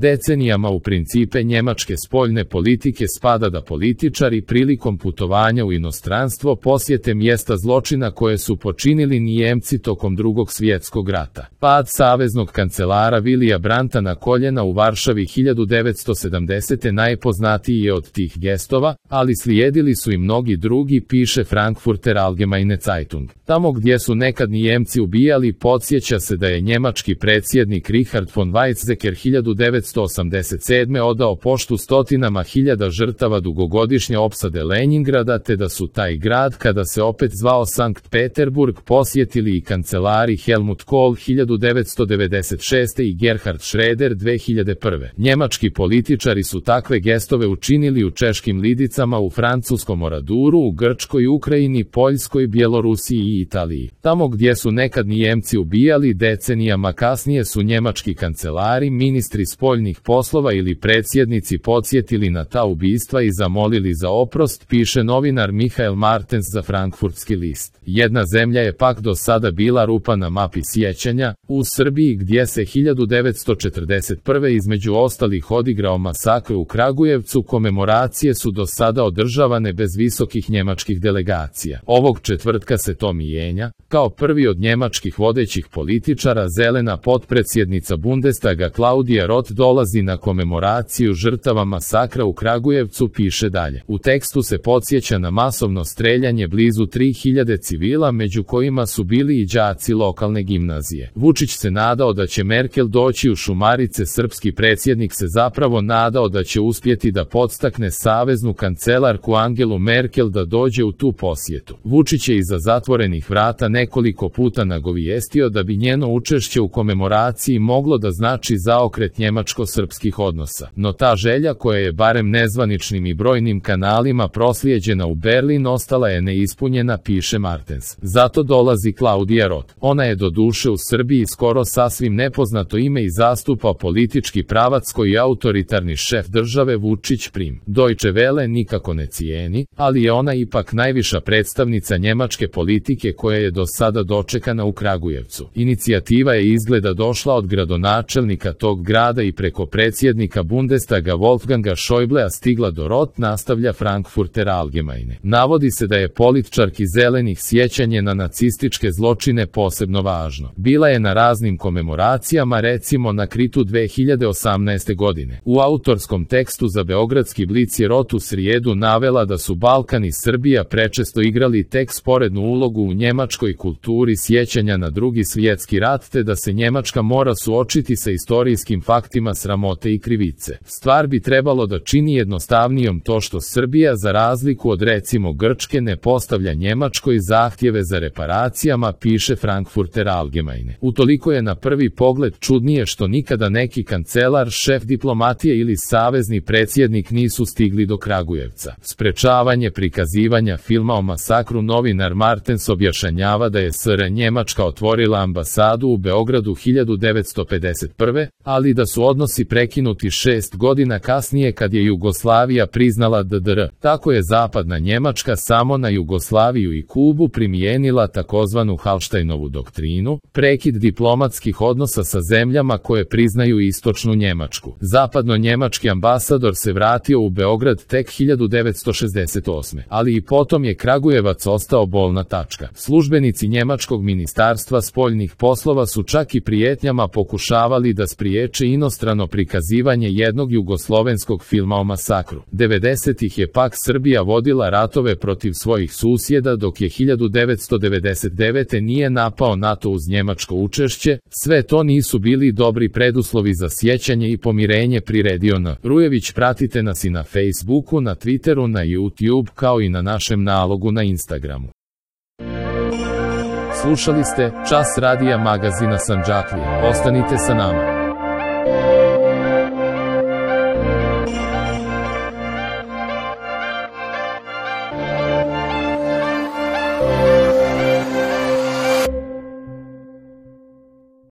Decenijama u principe njemačke spoljne politike spada da političari prilikom putovanja u inostranstvo posjete mjesta zločina koje su počinili Nijemci tokom Drugog svjetskog rata. Pad saveznog kancelara Willya Brandta na koljena u Varšavi 1970. najpoznatiji je od tih gestova, ali slijedili su i mnogi drugi, piše Frankfurter Allgemeine Zeitung. Tamo gdje su nekad Nijemci ubijali, podsjeća se da je njemački predsjednik Richard von Weizsäcker 1987. odao poštu stotinama hiljada žrtava dugogodišnje opsade Leningrada, te da su taj grad, kada se opet zvao Sankt Peterburg, posjetili i kancelari Helmut Kohl 1996. i Gerhard Schröder 2001. Njemački političari su takve gestove učinili u Češkim Lidicama, u francuskom Oraduru, u Grčkoj, Ukrajini, Poljskoj, Bjelorusiji i Italiji. Tamo gdje su nekad Nijemci ubijali, decenijama kasnije su njemački kancelari, ministri spoljnih poslova ili predsjednici podsjetili na ta ubistva i zamolili za oprost, piše novinar Michael Martens za Frankfurtski list. Jedna zemlja je pak do sada bila rupa na mapi sjećanja, u Srbiji, gdje se 1941. između ostalih odigrao masakr u Kragujevcu. Komemoracije su do sada održavane bez visokih njemačkih delegacija. Ovog četvrtka se to mijenja. Kao prvi od njemačkih vodećih političara, zelena potpredsjednica Bundestaga Claudia Roth dolazi na komemoraciju žrtava masakra u Kragujevcu, piše dalje. U tekstu se podsjeća na masovno streljanje blizu 3000 civila, među kojima su bili i đaci lokalne gimnazije. Vučić se nadao da će Merkel doći u Šumarice, srpski predsjednik se zapravo nadao da će uspjeti da podstakne saveznu kancelarku Angelu Merkel da dođe u tu posjetu. Vučić je iza zatvorenih vrata nekoliko puta nagovijestio da bi njeno učešće u komemoraciji moglo da znači zaokret njemačko-srpskih odnosa. No ta želja, koja je barem nezvaničnim i brojnim kanalima proslijeđena u Berlin, ostala je neispunjena, piše Martens. Zato dolazi Claudia Roth. Ona je doduše u Srbiji skoro sasvim nepoznato ime i zastupa politički pravac koji autoritarni šef države Vučić prim. Deutsche Welle nikako ne cijeni, ali je ona ipak najviša predstavnica njemačke politike koja je do sada dočekana u Kragujevcu. Inicijativa je izgleda došla od gradonačelnika tog grada i preko predsjednika Bundestaga Wolfganga Schäublea stigla do Roth, nastavlja Frankfurter Allgemeine. Navodi se da je političarki zelenih sjećanje na nacističke zločine posebno važno. Bila je na raznim komemoracijama, recimo na Kritu 2018. godine. U autorskom tekstu za Beogradski blic je Roth u srijedu navela da su Balkan i Srbija prečesto igrali tek sporednu ulogu u njemačkoj kulturi sjećanja na Drugi svjetski rat, te da se Njemačka mora suočiti sa istorijskim faktima sramote i krivice. Stvar bi trebalo da čini jednostavnijom to što Srbija, za razliku od recimo Grčke, ne postavlja Njemačkoj zahtjeve za reparacijama, piše Frankfurter Allgemeine. Utoliko je na prvi pogled čudnije što nikada neki kancelar, šef diplomatije ili savezni predsjednik nisu stigli do Kragujevca. Sprečavanje prikazivanja filma o masakru, novinar Martens objašnjava da je SR Njemačka otvorila ambasadu u Beogradu 1951. ali da su odnosi prekinuti 6 godina kasnije kad je Jugoslavija priznala DDR. Tako je zapadna Njemačka samo na Jugoslaviju i Kubu primijenila takozvanu Hallsteinovu doktrinu, prekid diplomatskih odnosa sa zemljama koje priznaju istočnu Njemačku. Zapadno-njemački ambasador se vratio u Beograd tek 1968. ali i potom je Kragujevac ostao bolna tačka. Službenici njemačkog ministarstva spoljnih poslova su čak i prijetnjama pokušavali da spriječe inostrano prikazivanje jednog jugoslovenskog filma o masakru. 90-ih je pak Srbija vodila ratove protiv svojih susjeda, dok je 1999. nije napao NATO uz njemačko učešće. Sve to nisu bili dobri preduslovi za sjećanje i pomirenje, priredio N. Rujević. Pratite nas i na Facebooku, na Twitteru, na YouTube, kao i na našem nalogu na Instagramu. Slušali ste Čas radija magazina Sandžaklija. Ostanite sa nama.